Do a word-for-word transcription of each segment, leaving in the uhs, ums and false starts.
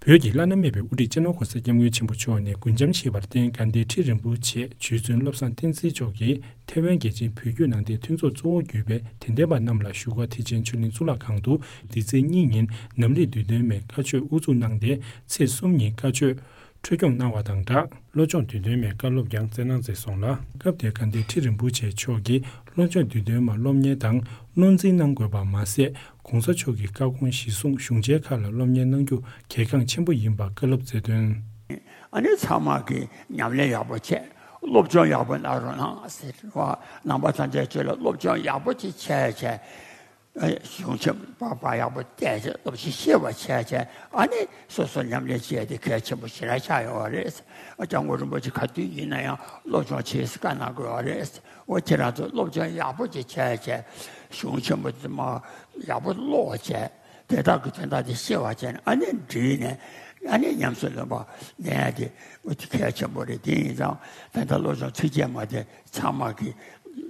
བོད་ཀྱི་བླ་ན་མེད་པའི་དབུ་ཁྲིད་སྤྱི་ནོར་གོང་ས་སྐྱབས་མགོན་ཆེན་པོ་མཆོག་ནས་རྒུན་འབྱམས་བཞེས་པར་བརྟེན་དགའ་ལྡན་ཁྲི་རིན་པོ་ཆེ་རྗེ་བཙུན་བློ་བཟང་བསྟན་འཛིན་མཆོག་གིས་ཐའེ་ཝན་རྒྱལ་ཆེན་བོད་བརྒྱུད་ནང་བསྟན་མཐུན་ཚོགས་གཙོ་བོ་གྱུར་པའི་དད་ལྡན་པ་རྣམས་ལ་བཞུགས་སྒར་ཐེག་ཆེན་ཆོས་གླིང་གཙུག་ལག་ཁང་དུ་འདི་ཚེས་གཉིས་ཉིན་ནམ་ལས་བསྡུས་དོན་མའི་བཀའ་ཆོས་དབུ་འཛུགས་གནང་སྟེ། ཚེས་གསུམ་ཉིན་བཀའ་ཆོས་འཕྲོ་སྐྱོང་གནང་བ་དང་སྦྲགས། སློབ་སྦྱོང་བསྡུས་དོན་མའི་བཀའ་སློབ་ཀྱང་སྩལ་གནང་མཛད་སོང་ལ། སྐབས་དེར་དགའ་ལྡན་ཁྲི་རིན་པོ་ཆེ་མཆོག་གིས་སློབ་སྦྱོང་བསྡུས་དོན་མར་སློབ་གཉེར་དང་བློ་འཛིན་གནང་དགོས་པ་མ་ཟད། གོང་ས་མཆོག་གི་བཀའ་དགོངས་གཞིར་བཟུང་གཞུང་ཆེན་ཁག་ལ་སློབ་གཉེར་གནང་རྒྱུ་གལ་འགངས་ཆེན་པོ་ཡིན་པ་བཀའ་སློབ་སྩལ་དོན། ཨ་ནི་ཚང་མ་གིས་ཉམས་ལེན་ཡག་པོ་བྱས། སློབ་སྦྱོང་ཡག་པོ་གནང་རོགས་གནང་ཟེར་བ། ནང་པ་ཐམས་ཅད་ཀྱིས་ལ་སློབ་སྦྱོང་ཡག་པོ་ཅིག་བྱས་བྱས། ཨ། གཞུང་ཆེན་པ་པ་ཡག་པོ་བལྟས་བྱས། སློབ་ཁྲིད་ཤེས་པ་བྱས་བྱས། ཨ་ནི་སོ་སོ་ཉམས་ལེན་བྱས་ཏེ་གལ་ཆེན་པོ་ཞེ་དྲག་ཆགས་ཡོད་རེད། ཨ། སྐྱབས་མགོན་རིན་པོ་ཆེ་ག་དུས་ཡིན་ན་ཡང་སློབ་སྦྱོང་བྱེད་བཀའ་གནང་དགོས་པ་རེད། འོ། ཁྱེད་རང་ཚོ་སློབ་སྦྱོང་ཡག་པོ་ཅིག་བྱས་བྱས། གཞུང་ཆེན་པོ་དེ་མ་ཡག་པོ་ཀློག་བྱས། དེ་དག་གི་དོན་དག་དེ་ཤེས་པ་བྱས་ནས། ཨ་ནི་འདྲིས་ནས། ཨ་ནི་ཉམས་སུ་ལེན་པ་ལེན་ཡ་དེ། འོ། དེ་གལ་ཆེན་པོ་རེད། དེ་ཡིན་ཙང་ད་ལྟ་སློབ་སྦྱོང་ཚིགས་བཅད་མ་དེ་ཚང་མ་གི་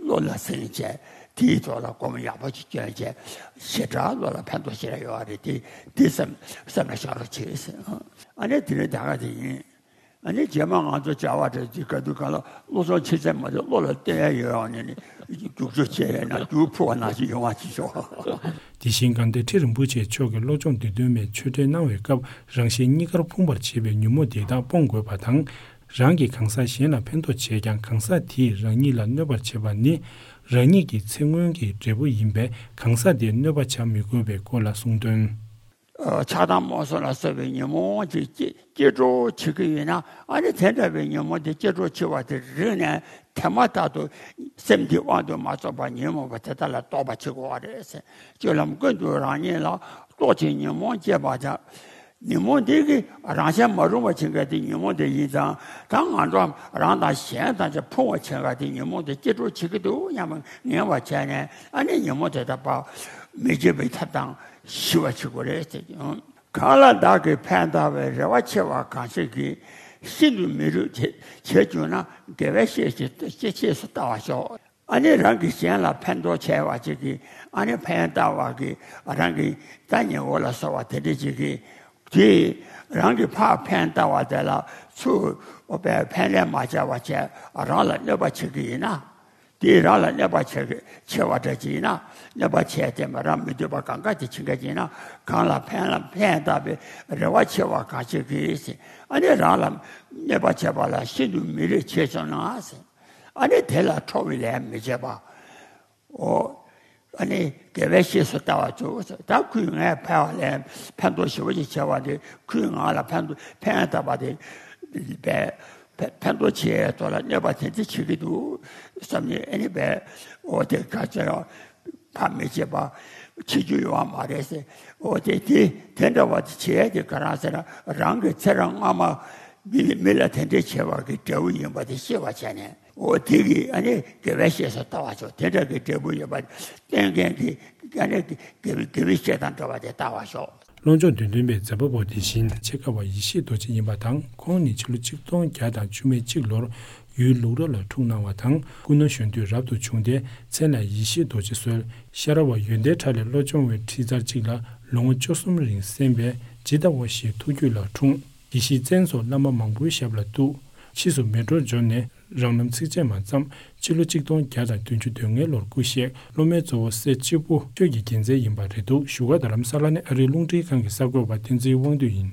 བློ་ལ་ཟིན་བྱས། དེའི་ཐོག་ལ་སྒོམ་ཡག་པོ་ཅིག་བསྐྱོན་བྱས། ཞེ་དྲག་བློ་ལ་ཕན་ཐོགས་ཞེ་དྲག་ཡོད་རེད། དེ་དེ་བསམ་བསམ་ན་བཞག་རོགས་བྱེད་ཟེར། ཨ་ནི་དེ་རིང་ད་ག་དེ་ཡིན། ཨ་ནི་རྗེས་མ་ང་ཚོ་བྱ་བ་འདྲ་ཅིག་ག་དུས་གང་ལ་བློ་སྦྱོང་ཆེ་ཚད་མ་དེ་བློ་ལ་བསྟན་ཡ་ཡོད་ཨ་ནི་ནི། རྒྱུགས་སྤྲོད་བྱས་ཡ་ན་རྒྱུགས་འཕུར་བ་ནང་བཞིན་ཡོང་བ་ཅིག་ཤོག་དེ་བཞིན་དགའ་ལྡན་ཁྲི་རིན་པོ་ཆེ་མཆོག་གིས་སློབ་སྦྱོང་བསྡུས་དོན་མའི་ཆོས་འབྲེལ་གནང་བའི་སྐབས། རང་གཞན་གཉིས་ཀར་ཕོངས་པར་བྱེད་པའི་ཉོན་མོངས་དེ་དག་སྤོང་དགོས་པ་དང་། རང་གིས་གང་ཟག་གཞན་ལ་ཕན་ཐོགས་བྱས་ཀྱང་གང་ཟག་དེས་རང་ཉིད་ལ་གནོད་པར་བྱེད་པ་ནི། རང་ཉིད་ཀྱི་ཚེ་སྔོན་གྱི་འབྲས་བུ་ཡིན་པས། གང་ཟག་དེར་གནོད་པ་བྱ་མི་དགོས་པའི་སྐོར་ལ་གསུངས་དོན། ཆགས་སྡང་རྨོངས་གསུམ་ལ་སོགས་པའི་ཉོན་མོངས་ཀྱིས་སྐྱེ་སྐྱེ་འགྲོ་བྱེད་ཀྱི་ཡོད་ན། ཨ་ནི་དེ་འདྲ་བའི་ཉོན་མོངས་དེ་སྐྱེ་འགྲོ་བྱེད་པ་དེ་རིག་ནས། དེ་མ་ཐག་ཏུ་སེམས་འདི་དབང་དུ་མ་སོང་བར་ཉོན་མོངས་པ་དེ་དག་ལ་རྟོག་པ་བྱེད་དགོས་པ་རེད། སྤྱོད་ལམ་ཀུན་ཏུ་རང་ཉིད་ལ་རྟོག་ཅིང་ཉོན་མོངས་སྐྱེས་པ་དང་། ཉོན་མོངས་འདི་གིས་རང་གཞན་མ་རུངས་པར་བྱེད་མཁན་དེ་ཉོན་མོངས་དེ་ཡིན་ཙང་། ད་ང་ཚོ་རང་དང་གཞན་དང་བཅས་ཕུང་བར་བྱེད་མཁན་དེ་ཉོན་མོངས་དེ་སྐྱེ་འགྲོ་བྱེད་ཀྱི་འདུག་སྙམ་པ་ངེས་པར་བྱས་ནས། ཨ་ནི་ཉོན་མོངས་དེ་དག་ཕར་མི་བྱེད་པའི་ཐབས་དང་ཞི་བར་བྱེད་དགོས་རེད་ཟེར་གྱི། གང་ལ་བདག་གིས་ཕན་བཏགས་པའི་རེ་བ་ཆེ་བ་གང་ཞིག་གིས། ཤིན་ཏུ་མི་རུང་བྱེད་བྱེད་གྱུར་ན། དགེ་བའི་བཤེས་ཀྱིས་ཤེས་སུ་བལྟ་བར་ཤོག་ཨ་ནི་རང་གིས་གཞན་ལ་ཕན་ཐོགས་བྱས་པ་ཅིག་གིས། ཨ་ནི་ཕན་བཏགས་པ་གིས་རང་གི་ད་ཉེ་འོ་ལ་སོགས་པ་དེ་འདྲ་ཅིག་གིས། དེས་རང་གིས་ཕར་ཕན་བཏགས་པ་དེ་ལ་ཚུར་ཕན་ལན་མ་བྱས་པ་བྱས། རང་ལ་གནོད་པ་བྱེད་ཀྱི་ཡིན་ན། དེས་རང་ལ་གནོད་པ་བྱེད་ཀྱི་བྱེད་པ་འདྲ་ཅིག་ཡིན་ན། གནོད་པ་བྱས་ཏེ་མ་རང་མི་འདོད་པ་གང་ག་དེ་བྱེད་མཁན་ཅིག་ཡིན་ན། གང་ལ་ཕན་ལ་ཕན་བཏགས་པའི་རེ་བ་ཆེ་བ་གང་ཞིག་གིས། ཨ་ནི་རང་ལ་གནོད་པ་བྱས་པ་ལ་ཤིན་ཏུ་མི་རུང་བྱེད་བྱུང་ན། ཨ་ནི་དེ་ལ་ཁྲོ་བའི་ལན་མི་བྱེད་པ། འོ། ཨ་ནི་དགེ་བའི་བཤེས་སུ་བལྟ་བར་འགྱུར། ད་ཁོས་ངས་ཕན་བ་ལས་ཕན་ཐོགས་ཞེ་པོ་ཅིག་བྱས་པ་དེ། ཁོས་ང་ལ་ཕན་ཐོགས་ཕན་བཏགས་པ་དེ་བས། ཕན་ཕན་ཐོགས་ཆེ་ཐོག་ལ་གནོད་པ་དེ་འདྲ་བྱེད་ཀྱི་འདུག་བསམ་ནས། ཨ་ནི་བས། འོ། དེ་ག་ཚོད་རང་ཕར་མི་བྱེད་པ་བྱེད་རྒྱུ་ཡོད་པ་མ་རེད་ཟེར། འོ། དེ་དེ་དེ་འདྲ་བ་དེ་བྱེད་ཡ་དེ་ག་རང་ཟེར་ན། རང་གི་ཚེ་རབས་སྔ་མ་མི་མི་ལ་དེ་འདྲ་བྱས་པ་གི་འབྲས་བུ་ཡིན་པ་དེ་ཤེས་པ་བྱས་ནས། འོ། དེ་གིས་ཨ་ནི་དགེ་བའི་བཤེས་སུ་བལྟ་བར་ཤོག་དེ་འདྲ་གི་འབྲས་བུ་ཡོད་པ་སྟོན་མཁན་གྱི་ཨ་ནི་དགེ་བའི་དགེ་བའི་བཤེས་དང་འདྲ་བ་དེ་བལྟ་བར་ཤོག་སློབ་སྦྱོང་བསྡུས་དོན་པའི་མཛད་པ་པོ་དེ་བཞིན་ཆེ་དགའ་བ་ཡེ་ཤེས་རྡོ་རྗེ་ཡིན་པ་དང་། ཁོང་ནི་ཕྱི་ལོ་ཆིག་སྟོང་བརྒྱ་དང་བཅུ་མེད་གཅིག་ལོར་ཡུལ་ལུག་ར་ལ་འཁྲུངས་གནང་བ་དང་། སྐུ་ན་གཞོན་དུས་རབ་ཏུ་བྱུང་སྟེ། མཚན་ལ་ཡེ་ཤེས་རྡོ་རྗེ་གསོལ། ཤ་ར་བ་ཡོན་ཏན་ཕྲ་ལས་བློ་སྦྱོང་བའི་ཁྲིད་ཚར་གཅིག་ལ་ལོ་ངོ་བཅུ་གསུམ་རིང་གསན་པས་ཇི་ལྟ་བ་བཞིན་ཐུགས་རྒྱུད་ལ་འཁྲུངས། དགེ་བཤེས་བཙན་སོགས་བླ་མ་མང་པོའི་ཞབས་ལ་གཏུགས། ཕྱིས་སུ་མལ་གྲོ་འབྱོར་ནས་རང་རྣམ་ཚིགས་བཅད་མ་བརྩམས། སྤྱི་ལོ་ཆིག་སྟོང་བརྒྱ་དང་བདུན་ཅུ་དོན་ལྔའི་ལོར་སྐུ་གཤེགས། སློབ་མའི་གཙོ་བོ་སྲས་སྤྱི་བོ་ཆོས་ཀྱི་རྒྱལ་མཚན་ཡིན་པ་རེད་འདུག་བཞུགས་སྒར་རྡ་རམ་ས་ལ་ནས་ཨ་རིའི་རླུང་འཕྲིན་ཁང་གི་གསར་འགོད་པ་བསྟན་འཛིན་དབང་འདུས་ཡིན།